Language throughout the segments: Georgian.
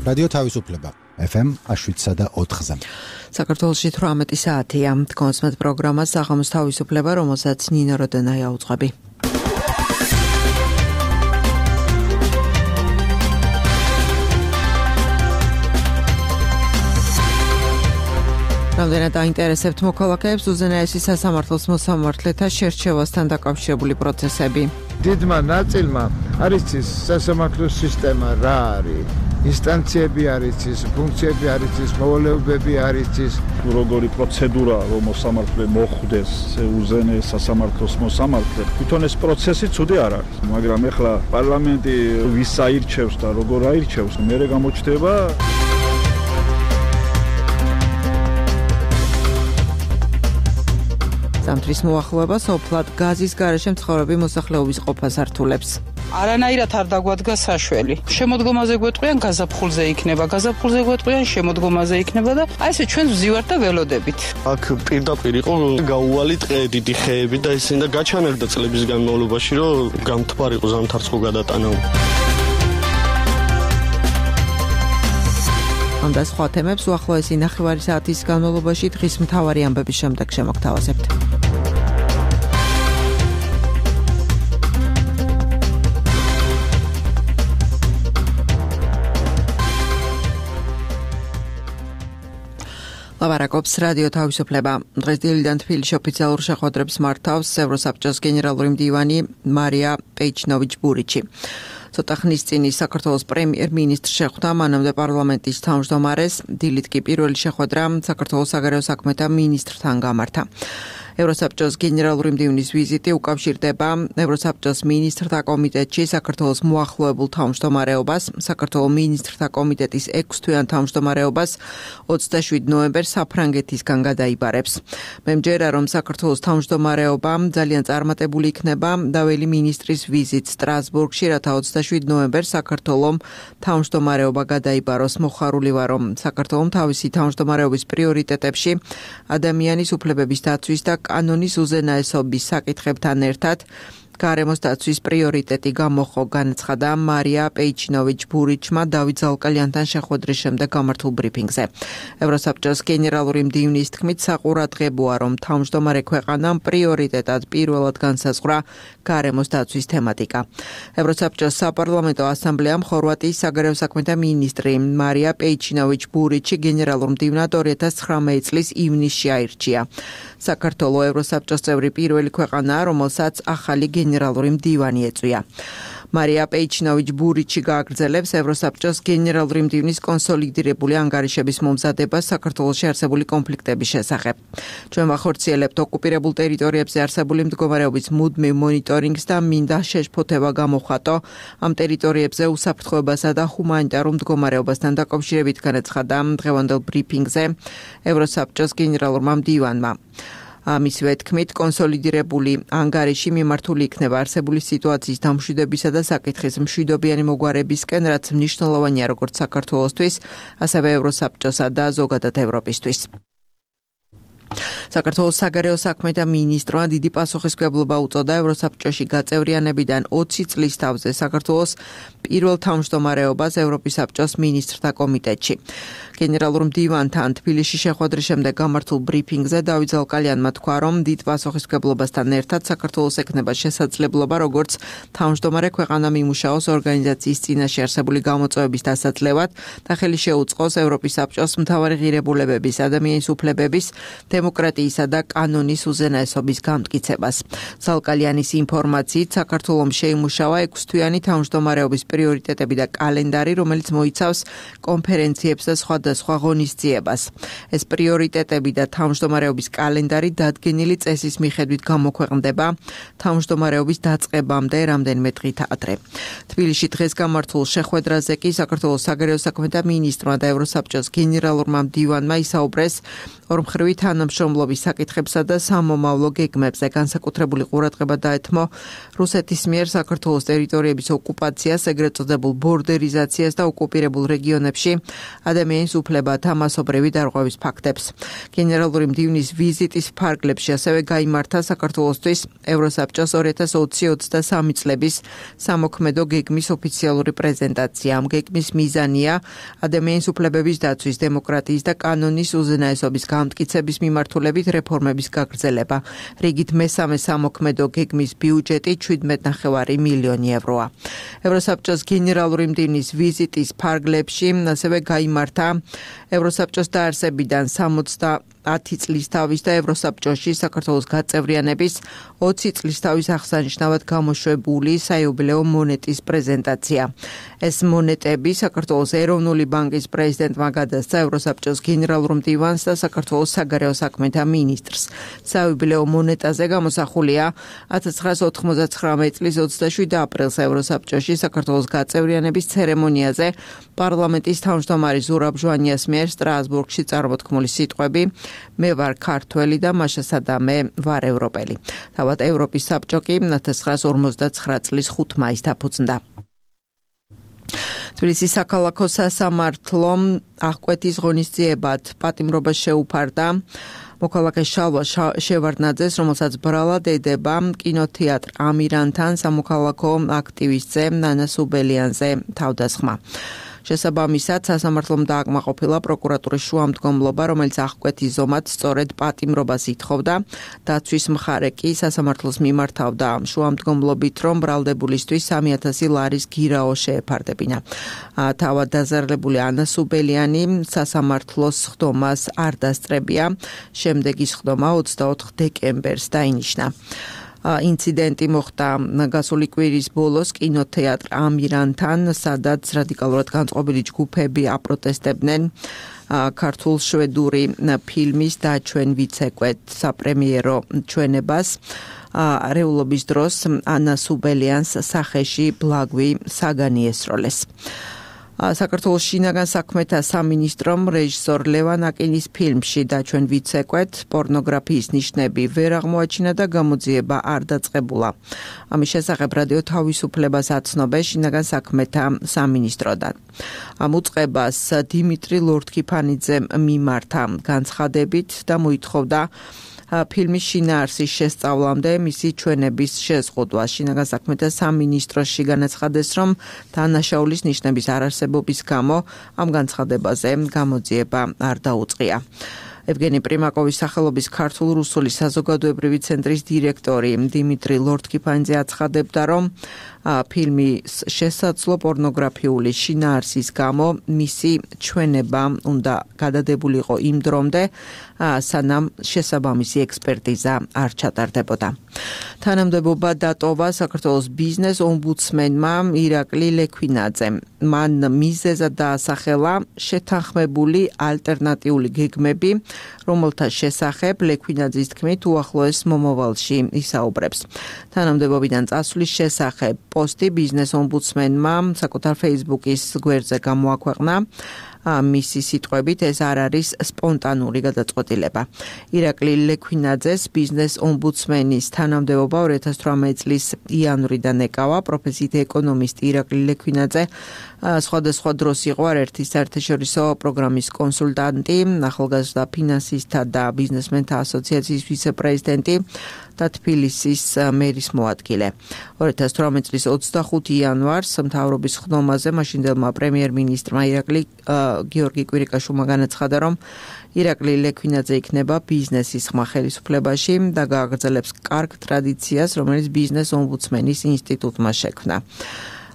რადიო თავისუფლება FM 107.4-ზე. საქართველოში 18 საათია. კონსმეთ პროგრამა საღამოს თავისუფლება, რომელსაც ნინო როდენაია უძღვები. რამდენად აინტერესებთ მოქალაქეებს უზენაესი სასამართლოს მოსამართლეთა შერჩევასთან დაკავშირებული პროცესები. დიდმა ნაწილმა არის ის სასამართლოს სისტემა რა არის, ინსტანციები არის ის, ფუნქციები არის ის, მოვალეობები არის ის, როგორი პროცედურა რომ მოსამართლე მოხვდეს უზენაეს სასამართლოს მოსამართლე. თვითონ ეს პროცესი ცუდი არ არის, მაგრამ ეხლა პარლამენტი ვის აირჩევს და როგორ აირჩევს, მერე გამოჩნდება. ზამთრის მოახლოება სოფლად გაზის გარეშე მცხოვრები მოსახლეობის ყოფას ართულებს. არანაირად არ დაგვადგა საშველი. შემოდგომაზე გვეტყვიან გაზაფხულზე იქნება, გაზაფხულზე გვეტყვიან შემოდგომაზე იქნება და აი ესე ჩვენ ვზივართ და ველოდებით. აქ პირდაპირ იყო გაუვალი ტყე, დიდი ხეები და ისინი და გაჩანერდა წლების განმავლობაში, რომ გამთბარიყო ზამთარს ხო გადატანა. ამ და სხვა თემებს უახლოესი ნახევარი საათის განმავლობაში დღის მთავარი ამბების შემდეგ შემოგთავაზებთ. ლაბარაკობს რადიო თავისუფლება. დღეს დილიდან თბილისში ოფიციალურ შეხვედრებს მართავს ევროსაბჭოს გენერალური მდივანი მარია პეიჩნოვიჩ-ბურიჩი. ცოტა ხნის წინ საქართველოს პრემიერ-მინისტრს შეხვდა მანამდე პარლამენტის თავმჯდომარეს, დილით კი პირველი შეხვედრა საქართველოს საგარეო საქმეთა მინისტრთან გამართა. ევროსაბჭოს გენერალური მდივნის ვიზიტი უკავშირდება ევროსაბჭოს მინისტრთა კომიტეტში საქართველოს მოახლოებულ თავმჯდომარეობას, საქართველოს მინისტრთა კომიტეტის 6 თვიან თავმჯდომარეობას 27 ნოემბერს საფრანგეთისგან გადაიბარებს. მე მჯერა, რომ საქართველოს თავმჯდომარეობა ძალიან წარმატებული იქნება დაველი მინისტრის ვიზიტ სტრასბურგში, რათა 27 ნოემბერს საქართველოს თავმჯდომარეობა გადაიბაროს. მოხარული ვარ, რომ საქართველოს თავისი თავმჯდომარეობის პრიორიტეტებში ადამიანის უფლებების დაცვის და კანონის უზენაესობის საკითხებთან ერთად გარემოს დაცვის პრიორიტეტი გამოხო, განაცხადა მარია პეიჩნოვიჩ-ბურიჩმა დავით ზალკალიანთან შეხვედრის შემდეგ გამართულ ბრიფინგზე. ევროსაბჭოს გენერალური მდივნის თქმით, საყურადღებოა, რომ თავმჯდომარე ქვეყანამ პრიორიტეტად პირველად განსაზღვრა გარემოს დაცვის თემატიკა. ევროსაბჭოს საპარლამენტო ასამბლეამ ხორვატიის საგარეო საქმეთა მინისტრი მარია პეიჩნოვიჩ-ბურიჩი გენერალურ მდივნად 2019 წლის ივნისში აირჩია. საქართველოს ევროსაბჭოს წევრი პირველი ქვეყანაა, რომელსაც ახალი გენერალური მდივანი ეწვია. მარია პეიჩნოვიჩ-ბურიჩი გააგრძელებს ევროსაბჭოს გენერალური მდივნის კონსოლიდირებული ანგარიშების მომზადებას საქართველოში არსებული კონფლიქტების შესახებ. ჩვენ ვახორციელებთ ოკუპირებულ ტერიტორიებზე არსებული მდგომარეობის მუდმივ მონიტორინგს და მინდა შეშფოთება გამოხატო ამ ტერიტორიებზე უსაფრთხოებასა და ჰუმანიტარულ მდგომარეობასთან დაკავშირებით, განაცხადა დღევანდელ ბრიფინგზე ევროსაბჭოს გენერალურმა მდივანმა. მისივე თქმით, კონსოლიდირებული ანგარიში მიმართული იქნება არსებული სიტუაციის დამშვიდებისა და საკითხის მშვიდობიანი მოგვარებისკენ, რაც მნიშვნელოვანია როგორც საქართველოსთვის, ასევე ევროსაბჭოსა და ზოგადად ევროპისთვის. საქართველოს საგარეო საქმეთა მინისტრმა დიდი პასუხისმგებლობა უწოდა ევროსაბჭოში გაწევრიანებიდან 20 წლის თავზე საქართველოს პირველ თავმჯდომარეობას ევროპის საბჭოს მინისტრთა კომიტეტში. გენერალურ მდივანთან თბილისში შეხვედრის შემდეგ გამართულ ბრიფინგზე დავით ზალკალიანმა თქვა, რომ დიდ პასუხისმგებლობასთან ერთად საქართველოს ექნება შესაძლებლობა, როგორც თავმჯდომარე ქვეყანა მიმუშაოს ორგანიზაციის წინაშე არსებული გამოწვევების დასაძლევად და ხელი შეუწყოს ევროპის საბჭოს მთავარი ღირებულებების, ადამიანის უფლებების, დემოკრატიისა და კანონის უზენაესობის გამტკიცებას. ზალკალიანის ინფორმაციით, საქართველოს შეიმუშავა 6 თვიანი თავმჯდომარეობის პრიორიტეტები და კალენდარი, რომელიც მოიცავს კონფერენციებს და სხვადასხვა ღონისძიებას. ეს პრიორიტეტები და თავმჯდომარეობის კალენდარი დადგენილი წესის მიხედვით გამოქვეყნდება თავმჯდომარეობის დაწყებამდე რამდენიმე დღით ადრე. თბილისში დღეს გამართულ შეხვედრაზე კი საქართველოს საგარეო საქმეთა მინისტრმა და ევროსაბჭოს გენერალურმა მდივანმა ისაუბრეს ორმხრივი თანამშრომლობის თანამშრომლობის საკითხებსა და სამომავლო გეგმებზე. განსაკუთრებული ყურადღება დაეთმო რუსეთის მიერ საქართველოს ტერიტორიების ოკუპაციას, ეგრეთ წოდებულ ბორდერიზაციას და ოკუპირებულ რეგიონებში ადამიანის უფლებათა მასობრივი დარღვევის ფაქტებს. გენერალური მდივნის ვიზიტის ფარგლებში ასევე გაიმართა საქართველოსთვის ევროსაბჭოს 2020-23 წლების სამოქმედო გეგმის ოფიციალური პრეზენტაცია. ამ გეგმის მიზანია ადამიანის უფლებების დაცვის, დემოკრატიის და კანონის უზენაესობის გამტკიცების მიმართულებით რეფორმების გაგრძელება. რიგით მესამე სამოქმედო გეგმის ბიუჯეტი 17,5 მილიონი ევროა. ევროსაბჭოს გენერალური მდივნის ვიზიტის ფარგლებში ასევე გაიმართა ევროსაბჭოს დაარსებიდან 10 წლის თავის და ევროსაბჭოში საქართველოს გაწევრიანების 20 წლის თავის აღსანიშნავად გამოშვებული საიუბილეო მონეტის პრეზენტაცია. ეს მონეტები საქართველოს ეროვნული ბანკის პრეზიდენტმა გადასცა ევროსაბჭოს გენერალურ მდივანს და საქართველოს საგარეო საქმეთა მინისტრს. საიუბილეო მონეტაზე გამოსახულია 1999 წლის 27 აპრილს ევროსაბჭოში საქართველოს გაწევრიანების ცერემონიაზე პარლამენტის თავმჯდომარე ზურაბ ჟვანიას მიერ სტრასბურგში წარმოთქმული სიტყვები მე ვარ ქართველი და მაშასადა მე ვარ ევროპელი. თავად ევროპის საბჭო კი 1959 წლის 5 მაისს დაფუძნდა. თბილისის საქალაქო სასამართლომ აღკვეთის ღონისძიებად პატიმრობა შეუფარდა მოქალაქე შალვა შევარდნაძეს, რომელსაც ბრალად ედება კინოთეატრ ამირანთან სამოქალაქო აქტივისტზე ნანა სუბელიანზე თავდასხმა. შესაბამისად, სასამართლომ დააკმაყოფილა პროკურატურის შუამდგომლობა, რომელიც აღკვეთის ზომად სწორედ პატიმრობას ითხოვდა. დაცვის მხარე კი სასამართლოს მიმართავდა შუამდგომლობით, რომ ბრალდებულისთვის 3,000 ლარის გირაო შეეფარდებინა. თავად დაზარალებული ანა სუბელიანი სასამართლოს ხდომას არ დასწრებია. შემდეგი ხდომა 24 დეკემბერს დაინიშნა. ინციდენტი მოხდა გასული კვირის ბოლოს კინოთეატრ ამირანთან, სადაც რადიკალურად განწყობილი ჯგუფები აპროტესტებდნენ ქართულ შვედური ფილმის დაჩვენ ვიცეკვეთ საპრემიერო ჩვენებას. არეულობის დროს ანა სუბელიანს სახეში ბლაგვი საგანი ესროლეს. საქართველოს შინაგან საქმეთა სამინისტრომ რეჟისორ ლევან აკინის ფილმში დაჩვენ ვიცეკვეთ პორნოგრაფიის ნიშნები ვერ აღმოაჩინა და გამოძიება არ დაწყებულა. ამის შესახებ რადიო თავისუფლებას აცნობეს შინაგან საქმეთა სამინისტროდან. ამ უწყებას დიმიტრი ლორთქიფანიძემ მიმართა განცხადებით და მოითხოვდა ფილმის შინაარსის შესწავლამდე მისი ჩვენების შეზღუდვა. შინაგან საქმეთა სამინისტროში განაცხადეს, რომ დანაშაულის ნიშნების არარსებობის გამო ამ განცხადებაზე გამოძიება არ დაუწყია. ევგენი პრიმაკოვის სახელობის ქართულ-რუსული საზოგადოებრივი ცენტრის დირექტორი დიმიტრი ლორთქიფანიძე აცხადებდა, რომ ფილმის შესაძლო პორნოგრაფიული შინაარსის გამო მისი ჩვენება უნდა გადადებულიყო იმ დრომდე, სანამ შესაბამისი ექსპერტიზა არ ჩატარდებოდა. თანამდებობა დატოვა საქართველოს ბიზნეს ომბუდსმენმა ირაკლი ლექვინაძემ. მან მიზეზად დაასახელა შეთანხმებული ალტერნატიული გეგმები, რომელთა შესახებ ლექვინაძის თქმით უახლოეს მომავალში ისაუბრებს. თანამდებობიდან წასვლის შესახებ პოსტი ბიზნეს ომბუდსმენმა საკუთარ Facebook-ის გვერდზე გამოაქვეყნა. მისი სიტყვებით ეს არ არის სპონტანური გადაწყვეტილება. ირაკლი ლექვინაძეს ბიზნეს ომბუდსმენის თანამდებობა 2018 წლის იანვრიდან ეკავა. პროფესიით ეკონომისტი ირაკლი ლექვინაძე სხვადასხვა დროს იყო არაერთი საერთაშორისო პროგრამის კონსულტანტი, ახალგაზრდა ფინანსისტთა და ბიზნესმენთა ასოციაციის ვიცე-პრეზიდენტი და თბილისის მერის მოადგილე. 2018 წლის 25 იანვარს მთავრობის ხდომაზე მაშინდელმა პრემიერ-მინისტრმა გიორგი კვირიკაშვილმა განაცხადა, რომ ირაკლი ლექვინაძე იქნება ბიზნესის ხმა ხელისუფლებაში და გააგრძელებს კარგ ტრადიციას, რომელიც ბიზნეს ომბუდსმენის ინსტიტუტმა შექმნა.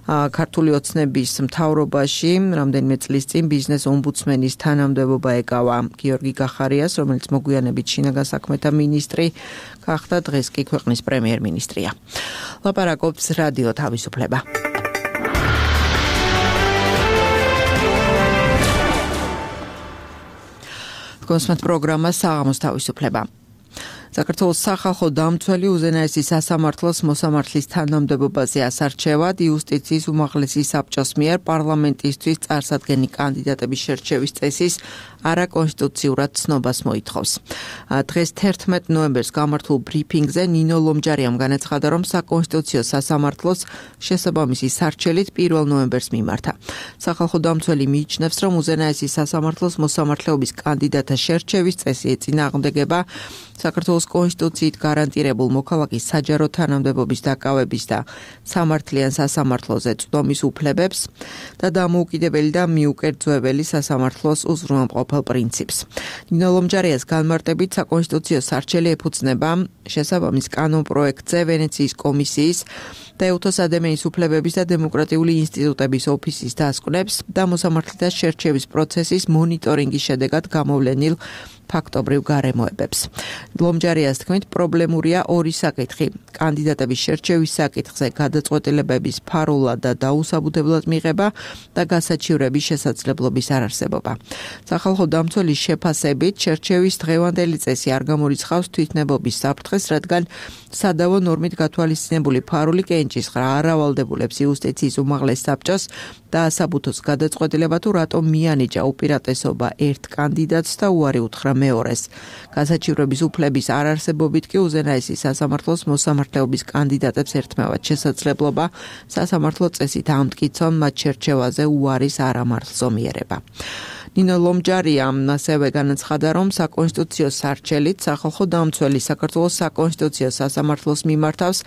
ქართული ოცნების მთავრობაში რამდენიმე წლის წინ ბიზნეს ომბუდსმენის თანამდებობა ეკავა გიორგი გახარიას, რომელიც მოგვიანებით შინაგან საქმეთა მინისტრი გახდა, დღეს კი ქვეყნის პრემიერ-მინისტრია. ლაპარაკობს რადიო თავისუფლება. კონსმეთ პროგრამა საღამოს თავისუფლება. საქართველოს სახალხო დამცველი უზენაესი სასამართლოს მოსამართლის თანამდებობაზე ასარჩევად იუსტიციის უმაღლესი საბჭოს მიერ პარლამენტისთვის წარსადგენი კანდიდატების შერჩევის წესის არაკონსტიტუციურად ცნობას მოითხოვს. დღეს 11 ნოემბერს გამართულ ბრიფინგზე ნინო ლომჯარიამ განაცხადა, რომ საკონსტიტუციო სასამართლოს შესაბამისი სარჩელით 1 ნოემბერს მიმართა. სახალხო დამცველი მიიჩნევს, რომ უზენაესი სასამართლოს მოსამართლეობის კანდიდატთა შერჩევის წესი ეწინააღმდეგება საქართველოს კონსტიტუციით გარანტირებულ მოქალაქის საჯარო თანამდებობის დაკავების და სამართლიან სასამართლოზე წვდომის უფლებებს და დამოუკიდებელი და მიუკერძოებელი სასამართლოს უზრუნველყოფელ პრინციპს. ნინო ლომჯარიას განმარტებით საკონსტიტუციო სარჩელი ეფუძნება შესაბამის კანონპროექტზე ვენეციის კომისიის და ეუთოს ადამიანის უფლებების და დემოკრატიული ინსტიტუტების ოფისის დასკვნებს და მოსამართლეთა შერჩევის პროცესის მონიტორინგის შედეგად გამოვლენილ ფაქტობრივ გარემოებებს. ლომჯარიას თქმით, პრობლემურია ორი საკითხი: კანდიდატების შერჩევის საკითხზე გადაწყვეტილებების ფარულად და დაუსაბუთებლად მიღება და გასაჩივრების შესაძლებლობის არარსებობა. სახალხო დამცველის შეფასებით, შერჩევის დღევანდელი წესი არ გამორიცხავს თვითნებობის საფრთხეს, რადგან სადავო ნორმით გათვალისწინებული ფარული კენჭისყრა არ ავალდებულებს იუსტიციის უმაღლეს საბჭოს და ასაბუთოს გადაწყვეტილება თუ რატომ მიანიჭა უპირატესობა ერთ კანდიდატს და უარი უთხრა მეორეს. გასაჩივრების უფლების არარსებობით კი უზენაესი სასამართლოს მოსამართლეობის კანდიდატებს ერთმევად შესაძლებლობა სასამართლო წესით ამტკიცონ მათ შერჩევაზე უარის არამართლზომიერება. ნინო ლომჯარიამ ასევე განაცხადა, რომ საკონსტიტუციო სარჩელით სახალხო დამცველი საქართველოს საკონსტიტუციო სასამართლოს მიმართავს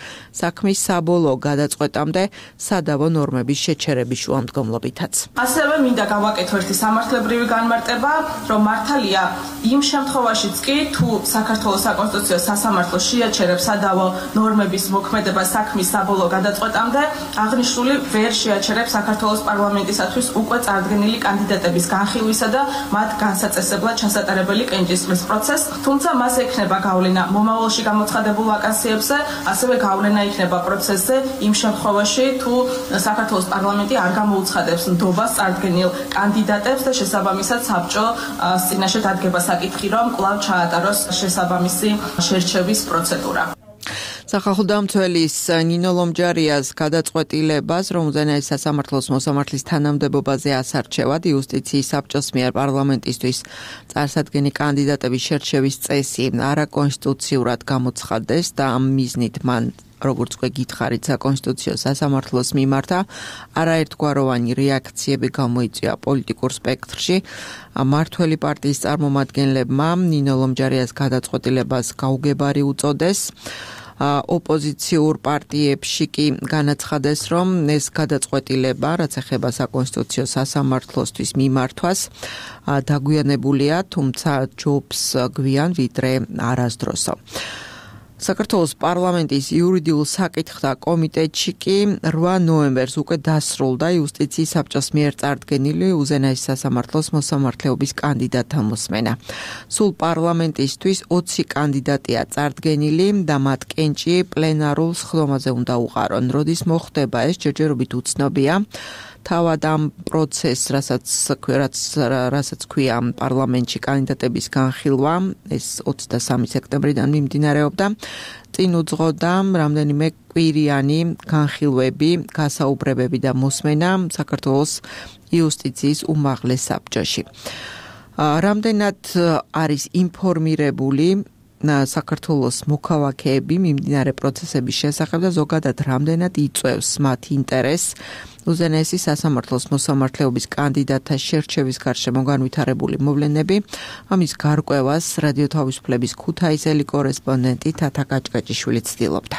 საქმის საბოლოო გადაწყვეტამდე სადავო ნორმების შეჩერების შუამდგომლობითაც. ასევე მინდა გავაკეთო ერთი სამართლებრივი განმარტება, რომ მართალია იმ შემთხვევაშიც კი თუ საქართველოს საკონსტიტუციო სასამართლო შეაჩერებს სადავო ნორმების მოქმედება საქმის საბოლოო გადაწყვეტამდე, აღნიშნული ვერ შეაჩერებს საქართველოს პარლამენტისათვის უკვე წარდგენილი კანდიდატების განხილვის და მათ განსაწესებლად ჩასატარებელი კენჭისყრის პროცესს, თუმცა მას ექნება გავლენა მომავალში გამოცხადებულ ვაკანსიებზე, ასევე გავლენა იქნება პროცესზე იმ შემთხვევაში, თუ საქართველოს პარლამენტი არ გამოუცხადებს ნდობას წარდგენილ კანდიდატებს და შესაბამისად საბჭო წინაშე დადგება საკითხი, რომ კვლავ ჩაატაროს შესაბამისი შერჩევის პროცედურა. სახალხო დამცველის ნინო ლომჯარიას გადაწყვეტილებას, რომ უზენაეს სასამართლოს მოსამართლის თანამდებობაზე ასარჩევად იუსტიციის საბჭოს მიერ პარლამენტისთვის წარსადგენი კანდიდატების შერჩევის წესი არაკონსტიტუციურად გამოცხადეს და ამ მიზნით მან როგორც უკვე გითხარით, საკონსტიტუციო სასამართლოს მიმართა არაერთგვაროვანი რეაქციები გამოიწვია პოლიტიკურ სპექტრში. მართველი პარტიის წარმომადგენლებმა ნინო ლომჯარიას გადაწყვეტილებას გაუგებარი უწოდეს. ოპოზიციურ პარტიებში კი განაცხადეს, რომ ეს გადაწყვეტილება, რაც ეხება საკონსტიტუციო სასამართლოსთვის მიმართვას, დაგვიანებულია, თუმცა ჯობს გვიან ვიდრე არასდროსო. საქართველოს პარლამენტის იურიდიულ საკითხთა კომიტეტში კი 8 ნოემბერს უკვე დასრულდა იუსტიციის საბჭოს მიერ წარდგენილი უზენაეს სასამართლოს მოსამართლეობის კანდიდატთა მოსმენა. სულ პარლამენტისთვის 20 კანდიდატია წარდგენილი და მათ კენჭი პლენარულ სხდომაზე უნდა უყარონ. როდის მოხდება ეს, ჯერჯერობით უცნობია. თავად ამ პროცესს, რასაც ქვია პარლამენტში კანდიდატების განხილვა, ეს 23 სექტემბრიდან მიმდინარეობდა. წინ უძღოდა რამდენიმე კვირიანი განხილვები, გასაუბრებები და მოსმენა საქართველოს იუსტიციის უმაღლეს საბჭოში. რამდენად არის ინფორმირებული საქართველოს მოქალაქეები მიმდინარე პროცესების შესახებ და ზოგადად რამდენად იწვევს მათ ინტერესს უზენაესი სასამართლოს მოსამართლეობის კანდიდატთა შერჩევის გარშემო განვითარებული მოვლენები. ამის გარკვევას რადიო თავისუფლების ქუთაისელი კორესპონდენტი თათა კაჭკაჭიშვილი ცდილობდა.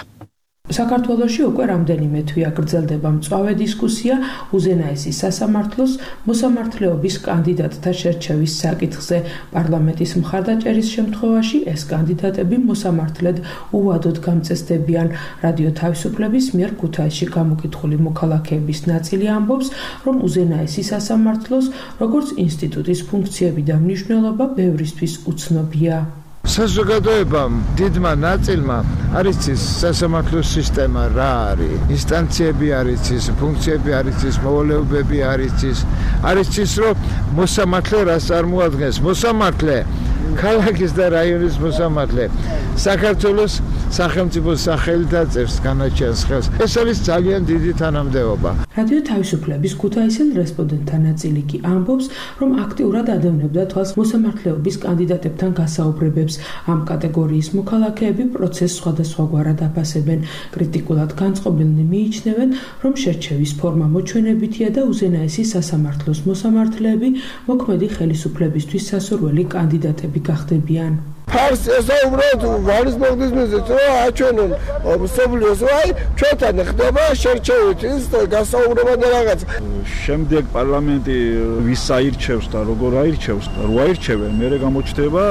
საქართველოში უკვე რამდენიმე თვეა გრძელდება მწვავე დისკუსია უზენაესი სასამართლოს მოსამართლეობის კანდიდატთა შერჩევის საკითხზე. პარლამენტის მხარდაჭერის შემთხვევაში ეს კანდიდატები მოსამართლედ უვადოდ გამწესდებიან. რადიო თავისუფლების მიერ ქუთაისში გამოკითხული მოქალაქეების ნაწილი ამბობს, რომ უზენაესი სასამართლოს როგორც ინსტიტუტის ფუნქციები და მნიშვნელობა ბევრისთვის უცნობია. საზოგადოებამ დიდმა ნაწილმა არ იცის სასამართლოს სისტემა რა არის, ინსტანციები არ იცის, ფუნქციები არ იცის, მოვალეობები არ იცის. არ იცის, რომ მოსამართლე რას წარმოადგენს. მოსამართლე, ქალაქის და რაიონის მოსამართლე, საქართველოს სახელმწიფოს სახელით აწერს განაჩენს ხელს. ეს არის ძალიან დიდი თანამდებობა. რადიო თავისუფლების ქუთაისელ რესპონდენტთა ნაწილი კი ამბობს, რომ აქტიურად ადევნებდა თვალს მოსამართლეობის კანდიდატებთან გასაუბრებებს. ამ კატეგორიის მოქალაქეები პროცესს სხვადასხვაგვარად აფასებენ. კრიტიკულად განწყობილნი მიიჩნევენ, რომ შერჩევის ფორმა მოჩვენებითია და უზენაესი სასამართლოს მოსამართლეები მოქმედი ხელისუფლებისთვის სასურველი კანდიდატები გახდებიან. ფარს ესაუბროთ ვარის მოგდის მიზეზს რომ აჩვენონ მსოფლიოს აი ჩვენთან ხდება შერჩევით ის გასაუბრება და რაღაც შემდეგ პარლამენტი ვის აირჩევს და როგორ აირჩევს და რო აირჩევენ მე გამოჩნდება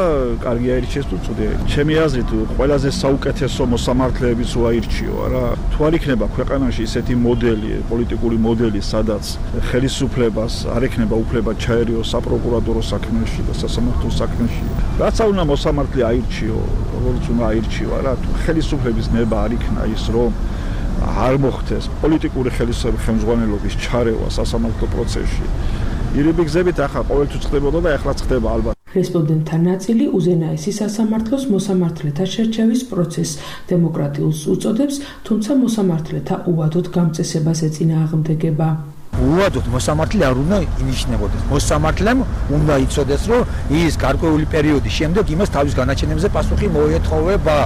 კარგი აირჩევს თუ ცუდი ჩემი აზრით ყველაზე საუკეთესო მოსამართლეების რო აირჩიო რა თუ არ იქნება ქვეყანაში ისეთი მოდელი პოლიტიკური მოდელი სადაც ხელისუფლებას არ ექნება უფლება ჩაერიოს საპროკურატურო საქმეში და სასამართლო საქმეში რაც უნდა მოსამართლე აირჩიო როგორც უნდა აირჩიო რა თუ ხელისუფლების ნება არ იქნა ის რომ არ მოხდეს პოლიტიკური ხელმძღვანელობის ჩარევა სასამართლო პროცესში. ირიბი გზებით ახლა ყოველთვის ხდებოდა და ახლა ხდება ალბათ. რესპონდენტთა ნაწილი უზენაესი სასამართლოს მოსამართლეთა შერჩევის პროცესს დემოკრატიულს უწოდებს, თუმცა მოსამართლეთა უვადოდ გამწესებას ეწინააღმდეგება. უვადოდ მოსამართლე არ უნდა ინიშნებოდეს. მოსამართლემ უნდა იცოდეს, რომ ის გარკვეული პერიოდის შემდეგ იმას თავის განაჩენებზე პასუხი მოეთხოვება.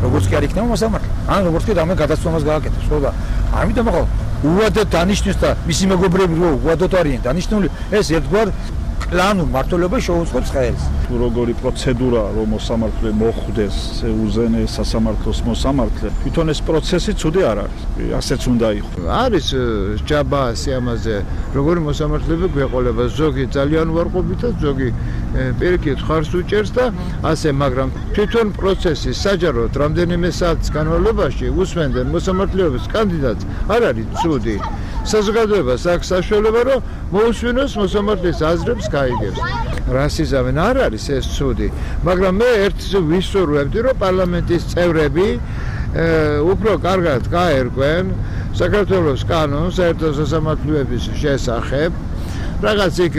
როგორც კი არ იქნება მოსამართლე. ან როგორც კი რამე გადაცემას გააკეთებს, ხო და ამიტომ ახლა უვადოდ დანიშნოს და მისი მეგობრები რო უვადოდ არიან დანიშნული, ეს ერთგვარ კლანურ მართლობას შეუწყობს ხელს. თუ როგორი პროცედურა რომ მოსამართლე მოხვდეს უზენაეს სასამართლოს მოსამართლე, თვითონ ეს პროცესი ცუდი არ არის. ასეც უნდა იყოს. არის ჯაბა სიამაზე, როგორი მოსამართლეები გვეყოლება, ზოგი ძალიან უარყოფით და ზოგი პირიქით ხარს უჭერს და ასე, მაგრამ თვითონ პროცესი საჯაროდ რამდენიმე საათის განმავლობაში უსმენდნენ მოსამართლეობის კანდიდატს, არ არის ცუდი. საზოგადოებას აქვს საშუალება, რომ მოусვინოს მოსამართლის აზრებს გაიგებს. რასიზმი არ არის ეს ცუდი, მაგრამ მე ერთს ვისურვებდი, რომ პარლამენტის წევრები უფრო კარგად გაერკვენ საქართველოს კანონს საერთო სასამართლოების შესახებ. რაღაც იქ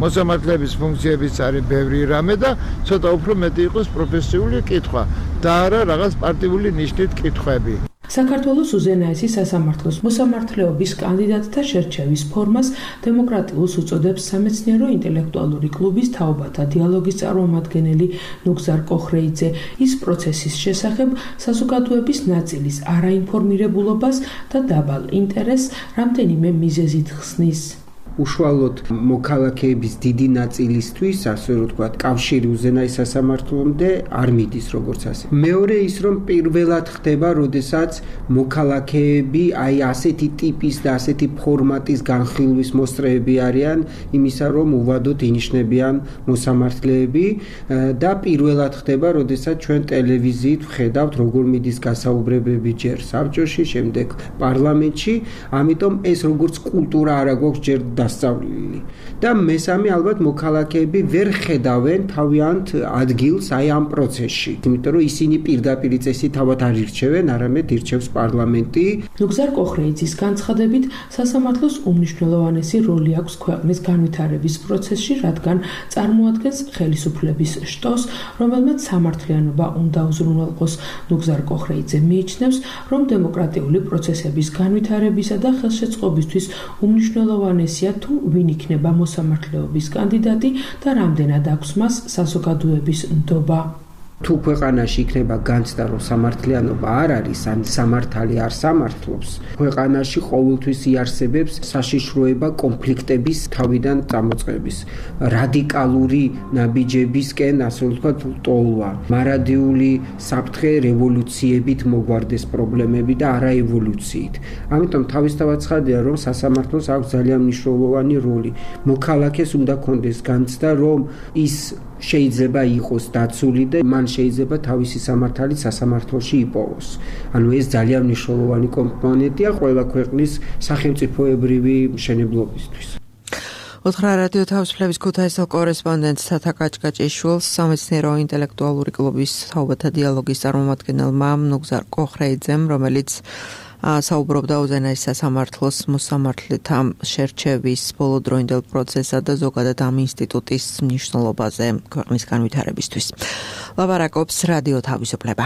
მოსამართლეების ფუნქციებიც არის ბევრი რამე და ცოტა უფრო მეტი იყოს პროფესიული კითხვა და არა რაღაც პარტიული ნიშნით კითხვები. საქართველოს უზენაესი სასამართლოს მოსამართლეობის კანდიდატთა შერჩევის ფორმას დემოკრატიულს უწოდებს სამეცნიერო ინტელექტუალური კლუბის თაობათა დიალოგის წარმომადგენელი ნუგზარ კოხრეიძე. ის პროცესის შესახებ საზოგადოების ნაწილის არაინფორმირებულობას და დაბალ ინტერესს რამდენიმე მიზეზით ხსნის. უშუალოდ მოქალაქეების დიდი ნაწილისთვის, ასე რომ ვთქვათ, კავშირი უზენაეს სასამართლომდე არ მიდის როგორც ასე. მეორე ის, რომ პირველად ხდება, როდესაც მოქალაქეები აი ასეთი ტიპის და ასეთი ფორმატის განხილვის მოსწრეები არიან იმისა, რომ უვადოდ ინიშნებიან მოსამართლეები და პირველად ხდება, როდესაც ჩვენ ტელევიზიით ვხედავთ, როგორ მიდის გასაუბრებები ჯერ საბჭოში, შემდეგ პარლამენტში, ამიტომ ეს როგორც კულტურა არა გვაქვს ჯერ დასწავლილი. და მესამე ალბათ მოქალაქეები ვერ ხედავენ თავიანთ ადგილს აი ამ პროცესში. იმიტომ რომ ისინი პირდაპირ წესით თავად არ ირჩევენ, არამედ ირჩევს პარლამენტი. ნუგზარ კოხრეიძის განცხადებით, სასამართლოს უმნიშვნელოვანესი როლი აქვს ქვეყნის განვითარების პროცესში, რადგან წარმოადგენს ხელისუფლების შტოს, რომელმაც სამართლიანობა უნდა უზრუნველყოს. ნუგზარ კოხრეიძე მიიჩნევს, რომ დემოკრატიული პროცესების განვითარებისა და ხელშეწყობისთვის უმნიშვნელოვანესია თუ ვინ იქნება მოსამართლეობის კანდიდატი და რამდენად აქვს მას საზოგადოების ნდობა. თუ ქვეყანაში იქნება განცდა, რომ სამართლიანობა არ არის, ან სამართალი არ სამართლობს, ქვეყანაში ყოველთვის იარსებებს საშიშროება კონფლიქტების თავიდან წამოწყების, რადიკალური ნაბიჯებისკენ, ასე ვთქვათ, ტოლვა, მარადიული საფრთხე რევოლუციებით მოგვარდეს პრობლემები და არა ევოლუციით. ამიტომ თავისთავად ცხადია, რომ სასამართლოს აქვს ძალიან მნიშვნელოვანი როლი. მოქალაქეს უნდა კონდეს განცდა, რომ ის შეიძლება იყოს დაცული და მან შეიძლება თავისი სამართალი სასამართლოში იპოვოს. ანუ ეს ძალიან მნიშვნელოვანი კომპონენტია ყველა ქვეყნის სახელმწიფოებრივი მშენებლობისთვის. უთხრა რადიო თავისუფლების ქუთაისელ კორესპონდენტს თათა კაჭკაჭიშვილს სამეცნიერო ინტელექტუალური კლუბის თაობათა დიალოგის წარმომადგენელმა ნუგზარ კოხრეიძემ, რომელიც საუბრობდა უზენაეს სასამართლოს მოსამართლეთა შერჩევის ბოლოდროინდელ პროცესსა და ზოგადად ამ ინსტიტუტის მნიშვნელობაზე ქვეყნის განვითარებისთვის. ლაპარაკობს რადიო თავისუფლება.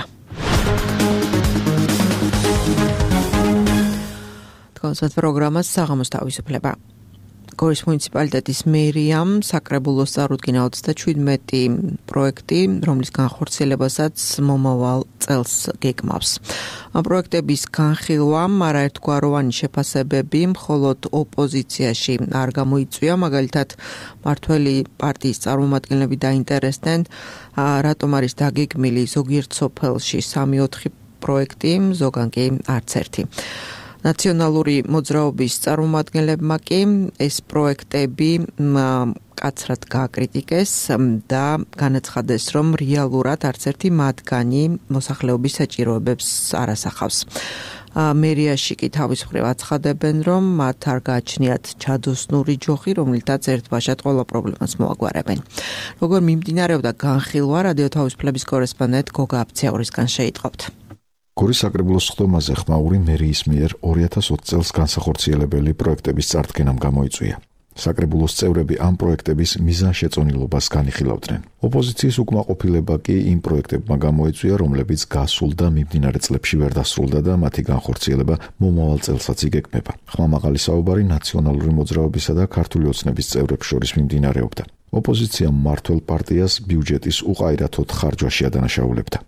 კონსერტ პროგრამას საღამოს თავისუფლება. გორის მუნიციპალიტეტის მერიამ საკრებულოს წარუდგინა 37 პროექტი, რომლის განხორციელებასაც მომავალ წელს გეგმავს. ამ პროექტების განხილვამ არაერთგვაროვანი შეფასებები მხოლოდ ოპოზიციაში არ გამოიწვია, მაგალითად მართველი პარტიის წარმომადგენლები დაინტერესდნენ, რატომ არის დაგეგმილი ზოგიერთ სოფელში 3-4 პროექტი, ზოგან კი არც ერთი. ნაციონალური მოძრაობის წარმომადგენლებმა კი ეს პროექტები კაცრად გააკრიტიკეს და განაცხადეს, რომ რეალურად არც ერთი მათგანი მოსახლეობის საჭიროებებს არ ასახავს. მერიაში კი თავის მხრივ აცხადებენ, რომ მათ არ გააჩნიათ ჩადოსნური ჯოხი, რომლითაც ერთბაშად ყველა პრობლემას მოაგვარებენ. როგორ მიმდინარეობდა განხილვა, რადიო თავისუფლების კორესპონდენტ გოგა აფციაურისგან შეიტყობთ. გორის საკრებულოს სხდომაზე ხმაური მერიის მიერ 2020 წელს განსახორციელებელი პროექტების წარდგენამ გამოიწვია. საკრებულოს წევრები ამ პროექტების მიზანშეწონილობას განიხილავდნენ. ოპოზიციის უკმაყოფილება კი იმ პროექტებმა გამოიწვია, რომლებიც გასულ და მიმდინარე წლებში ვერ დასრულდა და მათი განხორციელება მომავალ წელსაც იგეგმება. ხმამაღალი საუბარი ნაციონალური მოძრაობისა და ქართული ოცნების წევრებს შორის მიმდინარეობდა. ოპოზიციამ მმართველ პარტიას ბიუჯეტის უყაირათოდ ხარჯვაში ადანაშაულებდა.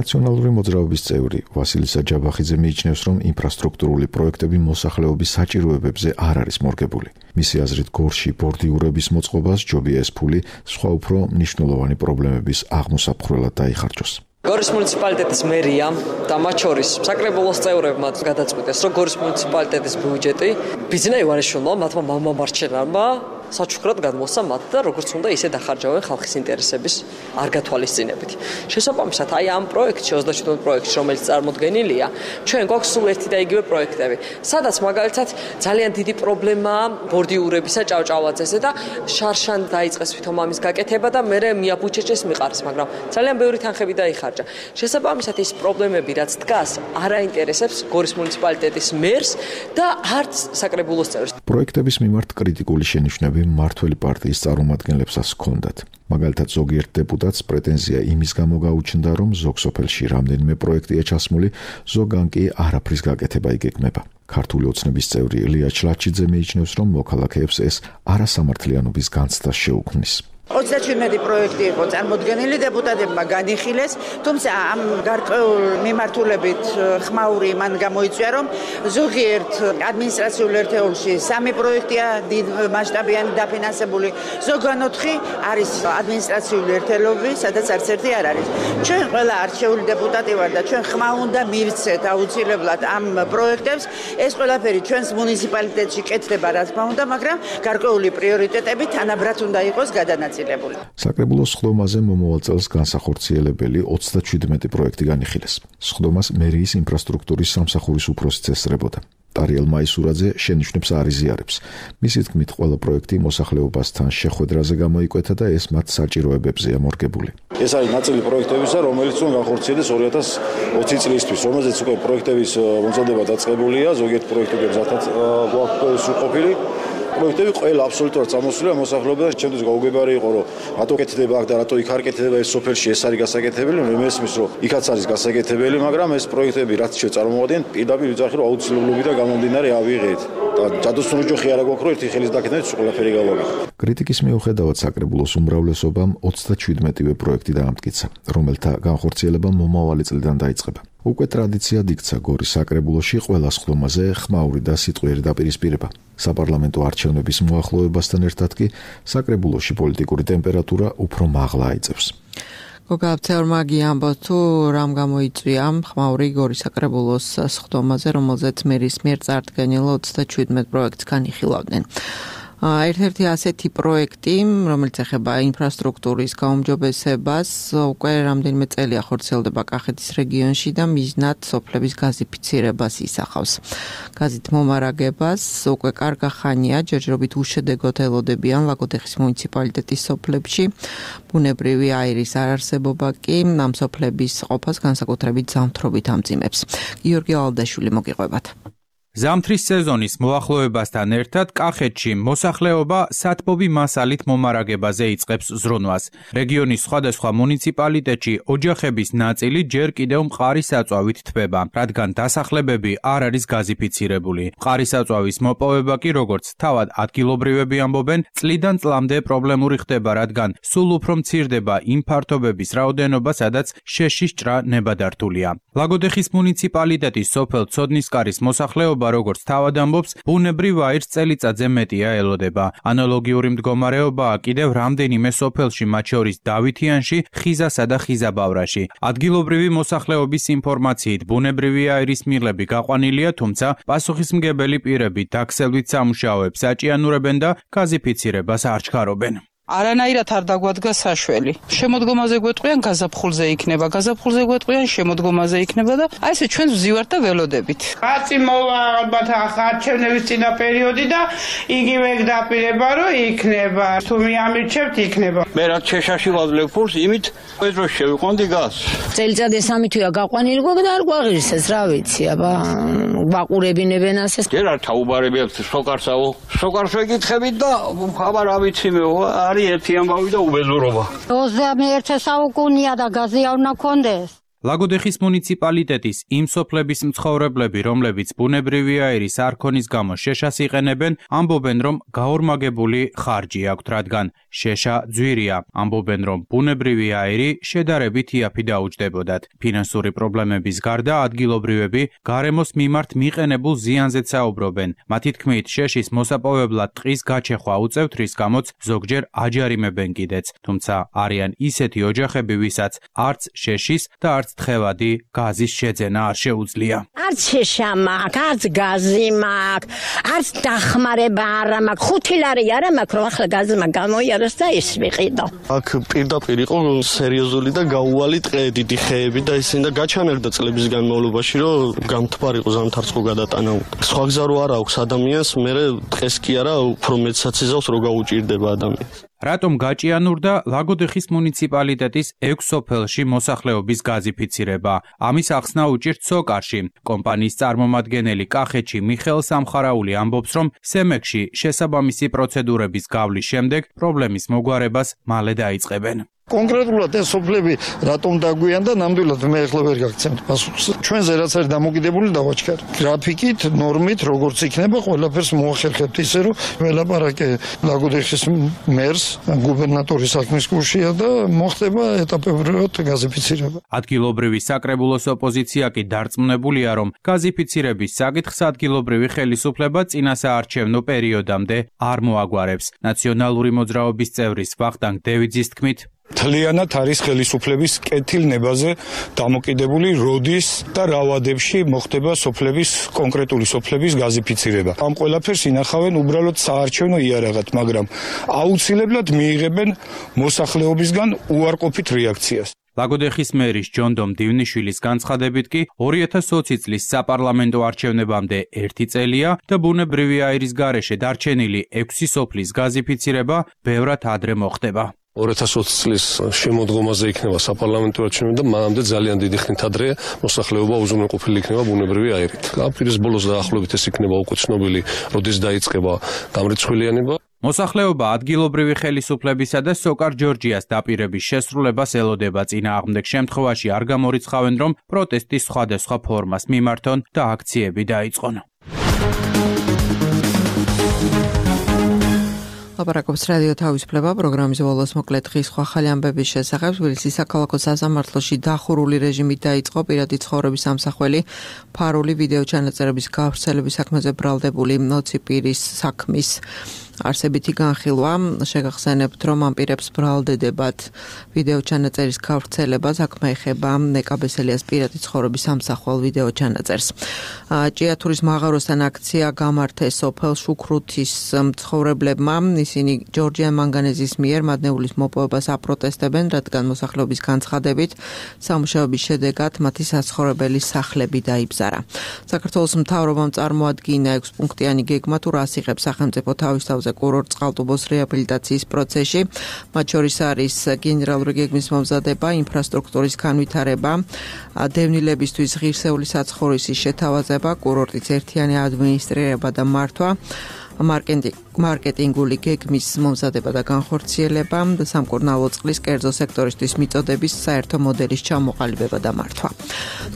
ნაციონალური მოძრაობის წევრი ვასილი საჯაბახიძე მიიჩნევს, რომ ინფრასტრუქტურული პროექტები მოსახლეობის საჭიროებებზე არ არის მორგებული. მისი აზრით, გორში ბორდიურების მოწყობას ჯობია ეს ფული სხვა უფრო მნიშვნელოვანი პრობლემების აღმოსაფხვრელად დაიხარჯოს. გორის მუნიციპალიტეტის მერიამ და მათ შორის საკრებულოს წევრებმა გადაწყვიტეს, რომ გორის მუნიციპალიტეტის ბიუჯეტი ბიძინა ივანიშვილმა, მათმა მამამარჩენარმა საჩუქრად გადმოსცა მათ და როგორც უნდა ისე დახარჯავენ ხალხის ინტერესების არ გათვალისწინებით. შესაბამისად, აი ამ პროექტში 27 პროექტში, რომელიც წარმოდგენილია, ჩვენ გვაქვს სულ ერთი და იგივე პროექტები, სადაც მაგალითად ძალიან დიდი პრობლემაა ბორდიურებისა ჭავჭავაძესზე და შარშან დაიწყეს თვითონ ამის გაკეთება და მერე მიაბუჩეჩეს მიყარეს, მაგრამ ძალიან ბევრი თანხები დაიხარჯა. შესაბამისად, ის პრობლემები, რაც დგას, არ აინტერესებს გორის მუნიციპალიტეტის მერს და არც საკრებულოს წევრს. პროექტების მიმართ კრიტიკული შენიშვნები მმართველი პარტიის წარმომადგენლებსაც ჰქონდათ. მაგალითად, ზოგიერთ დეპუტატს პრეტენზია იმის გამო გაუჩნდა, რომ ზოგ სოფელში რამდენიმე პროექტია ჩასმული, ზოგან კი არაფრის გაკეთება იგეგმება. ქართული ოცნების წევრი ელია ჩლაჩიძე მიიჩნევს, რომ მოქალაქეებს ეს არასამართლიანობის განცდას შეუქმნის. 37 პროექტი იყო წარმოდგენილი, დეპუტატებმა განიხილეს, თუმცა ამ გარკვეულ მიმართულებით ხმაური მან გამოიწვია, რომ ზოგიერთ ადმინისტრაციულ ერთეულში 3 პროექტია დიდ მასშტაბიანი დაფინანსებული, ზოგან 4 არის ადმინისტრაციული ერთეულები, სადაც არც ერთი არ არის. ჩვენ ყველა არჩეული დეპუტატი ვარ და ჩვენ ხმა უნდა მივცეთ აუცილებლად ამ პროექტებს. ეს ყველაფერი ჩვენს მუნიციპალიტეტში კეთდება, რა თქმა უნდა, მაგრამ გარკვეული პრიორიტეტები თანაბრად უნდა იყოს გადანაწილებული. საკრებულოს სხდომაზე მომავალ წელს განსახორციელებელი 37 პროექტი განიხილეს. სხდომას მერიის ინფრასტრუქტურის სამსახურის უფროსიც ესწრებოდა. ტარიელ მაისურაძე შენიშვნებს არ იზიარებს. მისი თქმით, ყველა პროექტი მოსახლეობასთან შეხვედრაზე გამოიკვეთა და ეს მათ საჭიროებებზეა მორგებული. ეს არის ნაწილი პროექტებისა, რომელიც უნდა განხორციელდეს 2020 წლისთვის, რომელზეც უკვე პროექტების მომზადება დაწყებულია, ზოგიერთ პროექტებზე ზათაც გვაქვს სრულყოფილი. პროექტები ყველა აბსოლუტურად წამოსულია მოსახლეობიდან. ჩემთვის გაუგებარი იყო, რომ რატო კეთდება აქ და რატო იქ არ კეთდება ეს სოფელში, ეს არის გასაკეთებელი. მე მესმის, რომ იქაც არის გასაკეთებელი, მაგრამ ეს პროექტები რაც შეწარმოადგენთ, პირდაპირ ვიძახი, რომ აუცილებლობიდან გამომდინარე ავიღეთ. და ჯადოსნური ჯოხი არ აქვს, რომ ერთი ხელის დაკეთებით ყველაფერი გავაკეთოთ. კრიტიკის მიუხედავად საკრებულოს უმრავლესობამ 37-ვე პროექტი დაამტკიცა, რომელთა განხორციელება მომავალი წლიდან დაიწყება. უკვე ტრადიციად იქცა გორის საკრებულოში ყველა სხდომაზე ხმაური და სიტყვიერი დაპირისპირება. საპარლამენტო არჩევნების მოახლოებასთან ერთად კი საკრებულოში პოლიტიკური ტემპერატურა უფრო მაღლა აიწევს. გოგა აფციაურმა გიამბოს, თუ რამ გამოიწვია ხმაური გორის საკრებულოს სხდომაზე, რომელზეც მერის მიერ წარდგენილ 37 პროექტს განიხილავდნენ. ერთ-ერთი ასეთი პროექტი, რომელიც ეხება ინფრასტრუქტურის გაუმჯობესებას, უკვე რამდენიმე წელია ხორციელდება კახეთის რეგიონში და მიზნად სოფლების გაზიფიცირებას ისახავს. გაზით მომარაგებას უკვე კარგა ხანია ჯერჯერობით უშედეგოდ ელოდებიან ლაგოდეხის მუნიციპალიტეტის სოფლებში. ბუნებრივი აირის არარსებობა კი ამ სოფლების ყოფას განსაკუთრებით ზამთრობით ამძიმებს. გიორგი ალდაშვილი მოგიყვებათ. ზამთრის სეზონის მოახლოებასთან ერთად კახეთში მოსახლეობა სათბობი მასალით მომარაგებაზე იწყებს ზრუნვას. რეგიონის სხვადასხვა მუნიციპალიტეტში ოჯახების ნაწილი ჯერ კიდევ მყარი საწვავით თბება, რადგან დასახლებები არ არის გაზიფიცირებული. მყარი საწვავის მოპოვება კი, როგორც თავად ადგილობრივები ამბობენ, წლიდან წლამდე პრობლემური ხდება, რადგან სულ უფრო მცირდება იმ ფართობების რაოდენობა, სადაც შეშის ჭრა ნებადართულია. ლაგოდეხის მუნიციპალიტეტის სოფელ ცოდნისკარის მოსახლეობა როგორც თავად ამბობს, ბუნებრივ აირს წელიწადზე მეტია ელოდება. ანალოგიური მდგომარეობაა კიდევ რამდენიმე სოფელში, მათ შორის დავითიანში, ხიზასა და ხიზაბავრაში. ადგილობრივი მოსახლეობის ინფორმაციით, ბუნებრივი აირის მიღლები გაყვანილია, თუმცა პასუხისმგებელი პირები დაქსელვით სამუშაოებს აჭიანურებენ და გაზიფიცირებას არ ჩქარობენ. არანაირად არ დაგვადგა საშველი. შემოდგომაზე გვეტყვიან გაზაფხულზე იქნება, გაზაფხულზე გვეტყვიან შემოდგომაზე იქნება და აი ესე ჩვენ ვზივართ და ველოდებით. კაცი მოვა ალბათ არჩევნების წინა პერიოდი და იგივე დაპირება რომ იქნება. თუ მიამირჩევთ იქნება. მე რა შეშაში ვაძლევ ფულს, იმით პედრო შევიყვანდი გას. წელიწადი 3 თვეა გაყვანილი გვაქვს და არ გვაღირსეს, რა ვიცი, აბა გვაყურებინებენ ასეს. ჯერ არ თაუბარები აქვს სოკარსაო. სოკარს ვეკითხებით და აბა რა ვიცი მე არის ერთი ამბავი და უბედურობა. 21 საუკუნეა და გაზი არ უნდა კონდეს. ლაგოდეხის მუნიციპალიტეტის იმ სოფლების მცხოვრებლები, რომლებიც ბუნებრივი აირის არქონის გამო შეშას იყენებენ, ამბობენ, რომ გაორმაგებული ხარჯი აქვთ, რადგან შეშა ძვირია. ამბობენ, რომ ბუნებრივი აირი შედარებით იაფი დაუჯდებოდათ. ფინანსური პრობლემების გარდა ადგილობრივები გარემოს მიმართ მიყენებულ ზიანზეც საუბრობენ. მათი თქმით, შეშის მოსაპოვებლად ტყის გაჩეხვა უწევთ, რის გამოც ზოგჯერ აჯარიმებენ კიდეც. თუმცა არიან ისეთი ოჯახები, ვისაც არც შეშის და არც თხევადი გაზის შეძენა არ შეუძლია. არც შეშა მაქვს, არც გაზი მაქვს, არც დახმარება არ მაქვს, 5 ლარი არ მაქვს, რომ ახლა გაზმა გამოიაროს და ის ვიყიდო. აქ პირდაპირ იყო სერიოზული და გაუვალი ტყე, დიდი ხეები და ისინი და გაჩანერდა წლების განმავლობაში, რომ გამთბარიყო ზამთარწყო გადატანა. სხვა გზა რო არ აქვს ადამიანს, მე ტყეს კი არა, უფრო მეცაც იზავს რო გაუჭირდება ადამიანს. რატომ გაჭიანურდა ლაგოდეხის მუნიციპალიტეტის 6 სოფელში მოსახლეობის გაზიფიცირება? ამის ახსნა უჭირთ სოკარში. კომპანიის წარმომადგენელი კახეთში მიხეილ სამხარაული ამბობს, რომ სემექში შესაბამისი პროცედურების გავლის შემდეგ პრობლემის მოგვარებას მალე დაიწყებენ. კონკრეტულად ეს სოფლები რატომ დაგვიან და ნამდვილად მე ახლა ვერ გაგცემთ პასუხს. ჩვენზე რაც არის დამოკიდებული დავაჩქარ. გრაფიკით, ნორმით, როგორც იქნება, ყველაფერს მოახერხებთ ისე, რომ ველაპარაკე ლაგოდეხის მერს, გუბერნატორის საქმის გუშია და მოხდება ეტაპებრივად გაზიფიცირება. ადგილობრივი საკრებულოს ოპოზიცია კი დარწმუნებულია, რომ გაზიფიცირების საკითხს ადგილობრივი ხელისუფლება წინასაარჩევნო პერიოდამდე არ მოაგვარებს. ნაციონალური მოძრაობის წევრის ვახტანგ დევიძის თქმით, თლიანად არის ხელისუფლების კეთილნებაზე დამოკიდებული, როდის და რა ვადებში მოხდება კონკრეტული სოფლების გაზიფიცირება. ამ ყველაფერს ინახავენ უბრალოდ საარჩევნო იარაღად, მაგრამ აუცილებლად მიიღებენ მოსახლეობისგან უარყოფით რეაქციას. ლაგოდეხის მერის ჯონდომ დივნიშვილის განცხადებით კი 2020 წლის საპარლამენტო არჩევნებამდე 1 წელია და ბუნებრივი აირის გარეშე დარჩენილი 6 სოფლის გაზიფიცირება ბევრად ადრე მოხდება. 2020 წლის შემოდგომაზე იქნება საპარლამენტო არჩევნები და მანამდე ძალიან დიდი ხნით ადრე მოსახლეობა უზრუნველყოფილი იქნება ბუნებრივი აირით. აპრილის ბოლოს დაახლოებით ეს იქნება უკვე ცნობილი, როდის დაიწყება გამრიცხვილიანება. მოსახლეობა ადგილობრივი ხელისუფლებისა და სოკარ ჯორჯიას დაპირების შესრულებას ელოდება. წინააღმდეგ შემთხვევაში არ გამორიცხავენ, რომ პროტესტის სხვადასხვა ფორმას მიმართონ და აქციები დაიწყონ. ლაპარაკობს რადიო თავისუფლება პროგრამის ბოლოს მოკლედ ხის სხვა ხალი ამბების შესახებ. თბილისის საქალაქო სასამართლოში დახურული რეჟიმით დაიწყო პირადი ცხოვრების ამსახველი ფარული ვიდეო ჩანაწერების გავრცელების საქმეზე ბრალდებული 20 პირის საქმის არსებითი განხილვა. შეგახსენებთ, რომ ამ პირებს ბრალდებათ ვიდეო ჩანაწერის გავრცელება, საქმე ეხება ნეკაბესელიას პირადი ცხოვრების სამსახვალ ვიდეო ჩანაწერს. ჭიათურის მაღაროსთან აქცია გამართეს სოფელ შუქრუთის მცხოვრებლებმა. ისინი ჯორჯიან მანგანეზის მიერ მადნეულის მოპოვებას აპროტესტებენ, რადგან მოსახლეობის განცხადებით სამუშაოების შედეგად მათი საცხოვრებელი სახლები დაიბზარა. საქართველოს მთავრობამ წარმოადგინა 6 პუნქტიანი გეგმა თუ რას იღებს სახელმწიფო თავისთავზე კურორტ წყალტუბოს რეაბილიტაციის პროცესში. მათ შორის არის გენერალური გეგმის მომზადება, ინფრასტრუქტურის განვითარება, დევნილებისთვის ღირსეული საცხოვრისის შეთავაზება, კურორტის ერთიანი ადმინისტრირება და მართვა, მარკეტინგული გეგმის მომზადება და განხორციელება და სამკურნალო წყლის კერძო სექტორისთვის მიწოდების საერთო მოდელის ჩამოყალიბება და მართვა.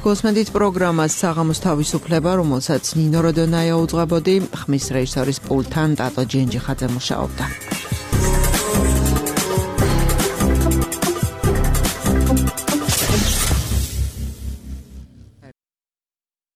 გულისხმობთ პროგრამას საღამოს თავისუფლება, რომელსაც ნინო როდონაია უძღვებოდი, ხმის რეჟისორის პულტთან ტატო ჯენჯიხაძე მუშაობდა.